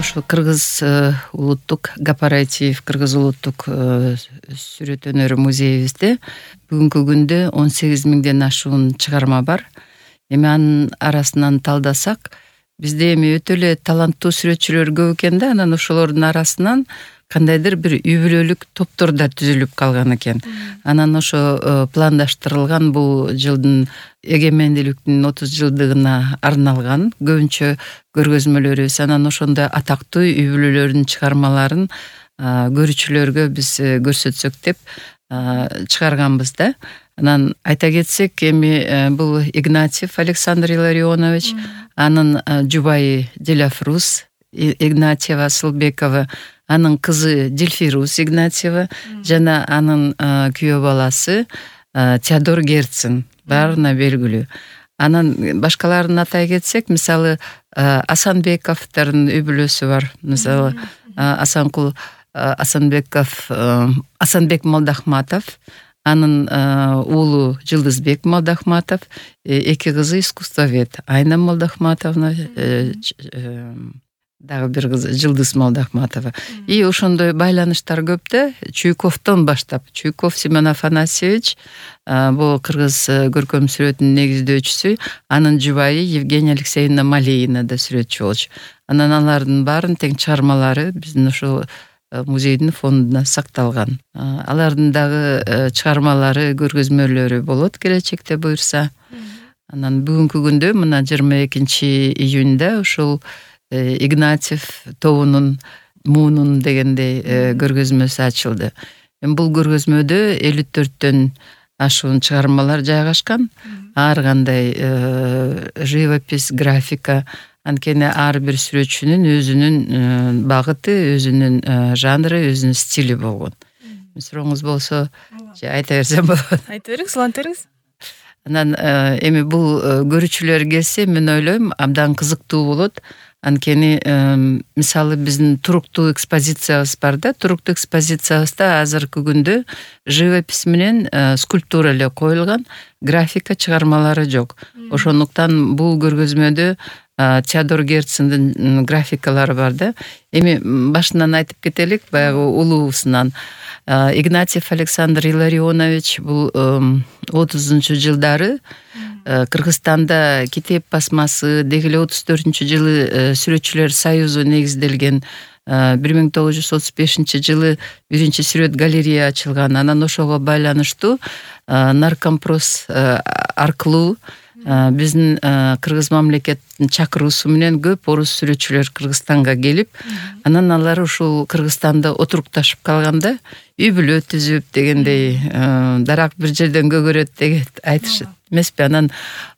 Ошо Кыргыз улуттук корпоратив, Кыргыз улуттук сүрөт өнөрү музейибизде бүгүнкү күндө 18 миңден ашуун чыгарма бар. Эми анын арасынан талдасак, бизде эми өтө эле таланттуу сүрөтчүлөр көп экен да, анан ошолордун арасынан кандайдыр бир үй бүлөлүк топтор да түзүлүп калган экен. Анан ошо пландаштырылган бул жылдын эгемендүүлүктүн 30 жылдыгына арналган көбүнчө көргөзмөлөрүбүз, анан ошондой атактуу үй бүлөлөрдүн чыгармаларын көрүүчүлөргө биз көрсөтсөк деп чыгарганбыз да. Анан айта кетсек, эми бул Игнатьев Александр Илларионович, анын жубайы Диляфрус Игнатьева Асылбекова, анын кызы Дильфирус Игнатьева жана анын күйөө баласы Теодор Герцен баарына белгилүү. Анан башкаларын атай кетсек, мисалы Асанбековдордун үй бүлөсү бар. Мисалы Асанкул Асанбеков, Асанбек Молдахматов, анын уулу Жылдызбек Молдахматов, эки кызы искусствовед Айна Молдахматовна, дагы бир кызы Жылдыз Молдахматова. И ошондой байланыштар көп да. Чуйковдон баштап, Чуйков Семен Афанасьевич бул кыргыз көркөм сүрөтүнүн негиздөөчүсү, анын жубайы Евгения Алексеевна Малеина да сүрөтчү болчу. Анан алардын баарын тең чыгармалары биздин ошол музейдин фондуна сакталган. Алардын дагы чыгармалары, көргөзмөлөрү болот келечекте буюрса. Анан бүгүнкү күндө мына 22 июнда ошол Игнатьев тобунун Муунун дегендей көргөзмөсү ачылды. Бул көргөзмөдө 54төн ашуун чыгармалар жайгашкан. Ар кандай живопись, графика, анткени ар бир сүрөтчүнүн өзүнүн багыты, өзүнүн жанры, өзүнүн стили болгон. Сурооңуз болсо айта берсем болот. Айта бериңиз, уланта бериңиз. Анан эми бул көрүүчүлөр келсе, мен ойлойм, абдан кызыктуу болот. Анткени мисалы биздин туруктуу экспозициябыз бар да. Туруктуу экспозициябызда азыркы күндө живопись менен скульптура эле коюлган, графика чыгармалары жок. Ошондуктан бул көргөзмөдө Теодор Герцендин графикалары бар да. Эми башынан айтып кетелик, баягы улуусунан. Игнатьев Александр Илларионович бул 30-жылдары Кыргызстанда Китеп басмасы, деги эле 34-жылы Сүрөтчүлөр союзу негизделген, 1935-жылы биринчи сүрөт галерея ачылган. Анан ошого байланыштуу Наркомпрос аркылуу биздин Кыргыз мамлекеттин чакыруусу менен көп орус сүрөтчүлөр Кыргызстанга келип, анан алар ушул Кыргызстанда отурукташып калганда, үй бүлө түзүп дегендей, дарак бир жерден көгөрөт деген айтышат эмеспи. Анан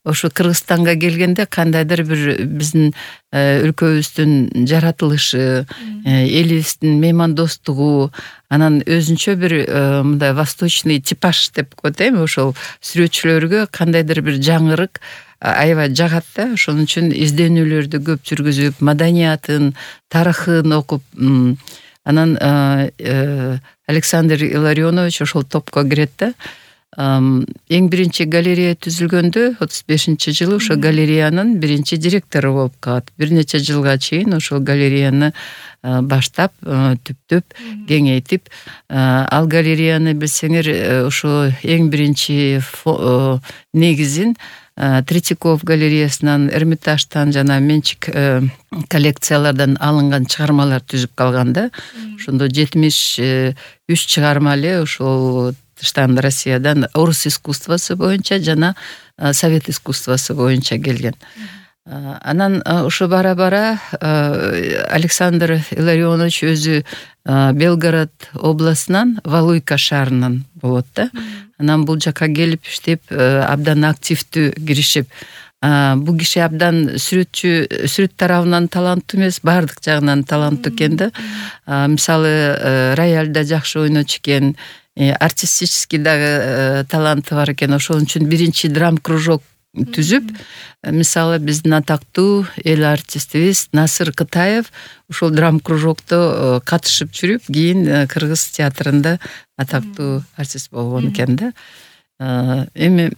ошо Кыргызстанга келгенде кандайдыр бир биздин өлкөбүздүн жаратылышы, элибиздин меймандостугу, анан өзүнчө бир мындай восточный типаж деп коет эми, ошол сүрөтчүлөргө кандайдыр бир жаңырык аябай жагат да. Ошон үчүн изденүүлөрдү көп жүргүзүп, маданиятын, тарыхын окуп, анан Александр Илларионович ошол топко кирет да. Эң биринчи галерея түзүлгөндө 35-жылы ошо галереянын биринчи директору болуп калат. Бир нече жылга чейин ошол галереяны баштап, түптөп, кеңейтип, ал галереяны билсеңер, ошо эң биринчи негизин Третьяков галереясынан, Эрмитаждан жана менчик коллекциялардан алынган чыгармалар түзүп калган да. Ошондо 73 чыгарма эле ошол тыштан, Россиядан орус искусствосы боюнча жана совет искусствосы боюнча келген. Анан ошо бара-бара Александр Илларионович өзү Белгород областынан, Валуйка шаарынан болот да. Анан бул жака келип иштеп, абдан активдүү киришип, бул киши абдан сүрөт тарабынан таланттуу эмес, баардык жагынан таланттуу экен да. Мисалы, рояльда жакшы ойночу экен, артистический дагы таланты бар экен. Ошон үчүн биринчи драм кружок түзүп, мисалы биздин атактуу эл артистибиз Насыр Кытаев ушул драм кружокто катышып жүрүп, кийин Кыргыз театрында атактуу артист болгон экен да. Эми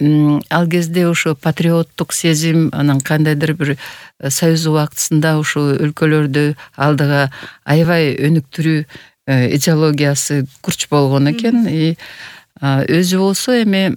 ал кезде ошо патриоттук сезим, анан кандайдыр бир союз убактысында ошо өлкөлөрдү алдыга аябай өнүктүрүү идеологиясы курч болгон экен. Өзү болсо эми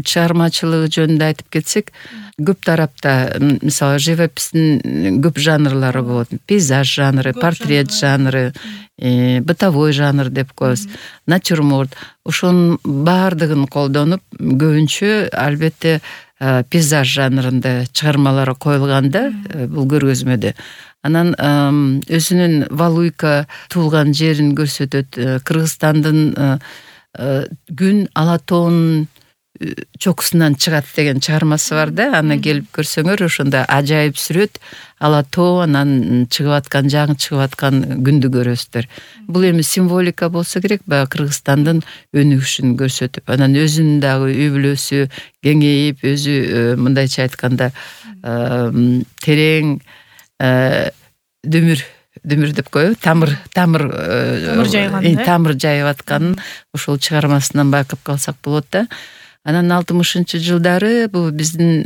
чыгармачылыгы жөнүндө айтып кетсек, көп тарапта, мисалы, живопистин көп жанрлары болот. Пейзаж жанры, портрет жанры, бытовой жанр деп коебуз, натюрморт. Ошонун баардыгын колдонуп, көбүнчө албетте пейзаж жанрында чыгармалары коюлганда бул көргөзмөдө. Анан өзүнүн Валуйка туулган жерин көрсөтөт. Кыргызстандын күн ала тоонун чокусунан чыгат деген чыгармасы бар да. Аны келип көрсөңөр, ошондо ажайып сүрөт, ала тоо, анан чыгып аткан, жаңы чыгып аткан күндү көрөсүздөр. Бул эми символика болсо керек, баягы Кыргызстандын өнүгүшүн көрсөтүп, анан өзүнүн дагы үй бүлөсү кеңейип, өзү мындайча айтканда терең дүмүр деп коебу, тамыр жайып атканын ошол чыгармасынан байкап калсак болот да. Анан 60-жылдары бул биздин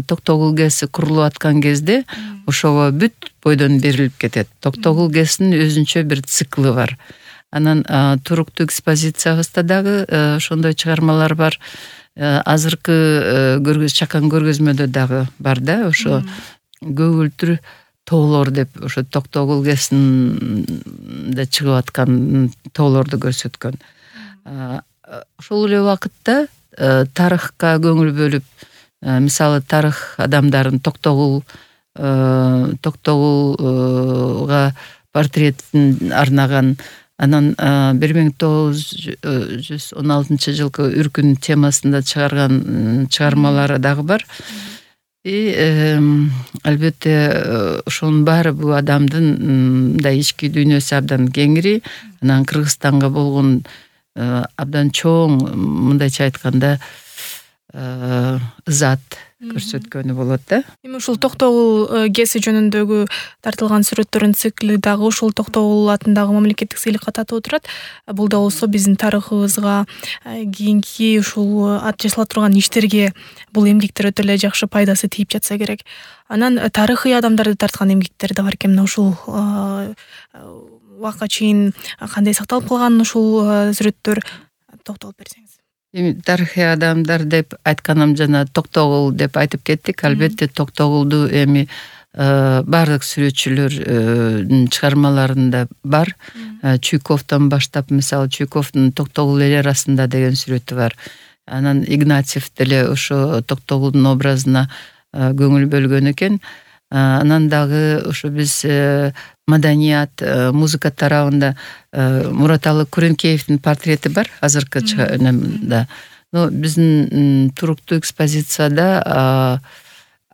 Токтогул ГЭСи курулуп аткан кезде ошого бүт бойдон берилип кетет. Токтогул ГЭСинин өзүнчө бир циклы бар. Анан туруктуу экспозициябызда дагы ошондой чыгармалар бар. Азыркы чакан көргөзмөдө дагы бар да, ошо көгүлтүр тоолор деп, ошо Токтогул ГЭСинде чыгып аткан тоолорду көрсөткөн. Ошол эле убакытта тарыхка көңүл бөлүп, мисалы, тарых адамдарын Токтогулга портретин арнаган, анан 1916 үркүн темасында чыгарган чыгармалары дагы бар. Албетте ошонун баары бул адамдын да ички дүйнөсү абдан кеңири, анан Кыргызстанга болгон абдан чоң, мындайча айтканда, ызат көрсөткөнү болот да. Эми ушул Токтогул ГЭСи жөнүндөгү тартылган сүрөттөрдүн цикли дагы ушул Токтогул атындагы мамлекеттик сыйлыкка татуу турат. Бул да болсо биздин тарыхыбызга, кийинки ушул жасала турган иштерге бул эмгектер өтө эле жакшы пайдасы тийип жатса керек. Анан тарыхый адамдарды тарткан эмгектер да бар экен. Мына ушул убакка чейин кандай сакталып калган ушул сүрөттөр, токтолуп берсеңиз. Эми тарыхый адамдар деп айтканым, жана Токтогул деп айтып кеттик. Албетте Токтогулду эми баардык сүрөтчүлөрдүн чыгармаларында бар. Чуйковдон баштап, мисалы, Чуйковдун Токтогул эл арасында деген сүрөтү бар. Анан Игнатьев деле ошо Токтогулдун образына көңүл бөлгөн экен. Анан дагы ошо биз маданият, музыка тарабында Мураталы Күрөнкеевдин портрети бар азыркы чыгармада. Но биздин туруктуу экспозицияда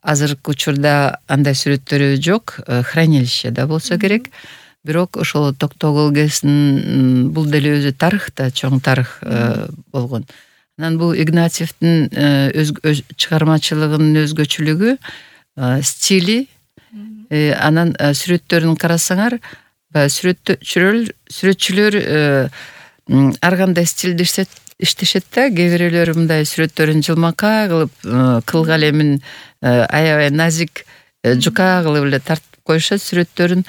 азыркы учурда андай сүрөттөрү жок, хранилищеде болсо керек. Бирок ошол Токтогул ГЭСинин бул деле өзү тарыхта чоң тарых болгон. Анан бул Игнатьевдин чыгармачылыгынын өзгөчөлүгү, стили, анан сүрөттөрүн карасаңар, сүрөтчүлөр ар кандай стилде иштешет да. Кээ бирөөлөр мындай сүрөттөрүн жылмакай кылып, кыл калемин аябай назик, жука кылып эле тартып коюшат сүрөттөрүн.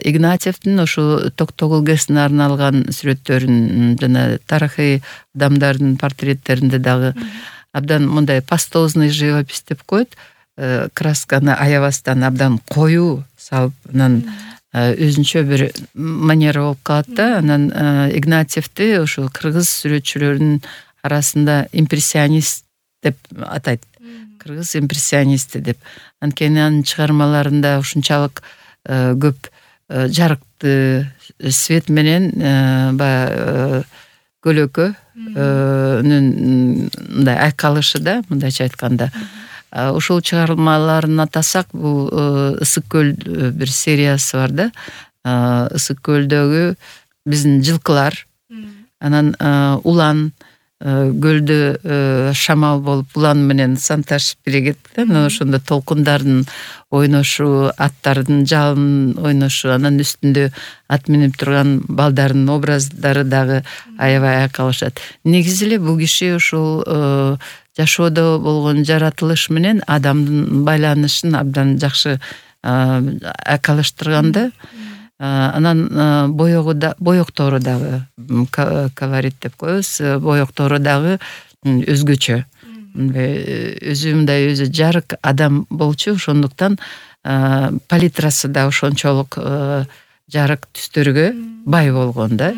Игнатьевдин ошо Токтогул ГЭСине арналган сүрөттөрүн жана тарыхый адамдардын портреттеринде дагы абдан мындай пастозный живопись деп коет. Красканы аябастан абдан коюу салып, анан өзүнчө бир манера болуп калат да. Анан Игнатьевди ошо кыргыз сүрөтчүлөрүнүн арасында импрессионист деп атайт. Кыргыз импрессионисти деп. Анткени анын чыгармаларында ушунчалык көп жарыкты свет менен баягы көлөкөнүн мындай айкалышы да, мындайча айтканда. Ошол чыгармаларын атасак, бул Ысык көл бир сериясы бар да. Ысык көлдөгү биздин жылкылар, анан улан, көлдө шамал болуп улан менен санташып биригет анан ошондо толкундардын ойношу, аттардын жалын ойношу, анан үстүндө ат минип турган балдардын образдары дагы аябай айкалышат. Негизи эле бул киши ушул жашоодо болгон жаратылыш менен адамдын байланышын абдан жакшы айкалыштырганда. Анан боектору дагы колорит деп коебуз. Боектору дагы өзгөчө. Өзү мындай өзү жарык адам болчу, ошондуктан палитрасы да ошончолук жарык түстөргө бай болгон да.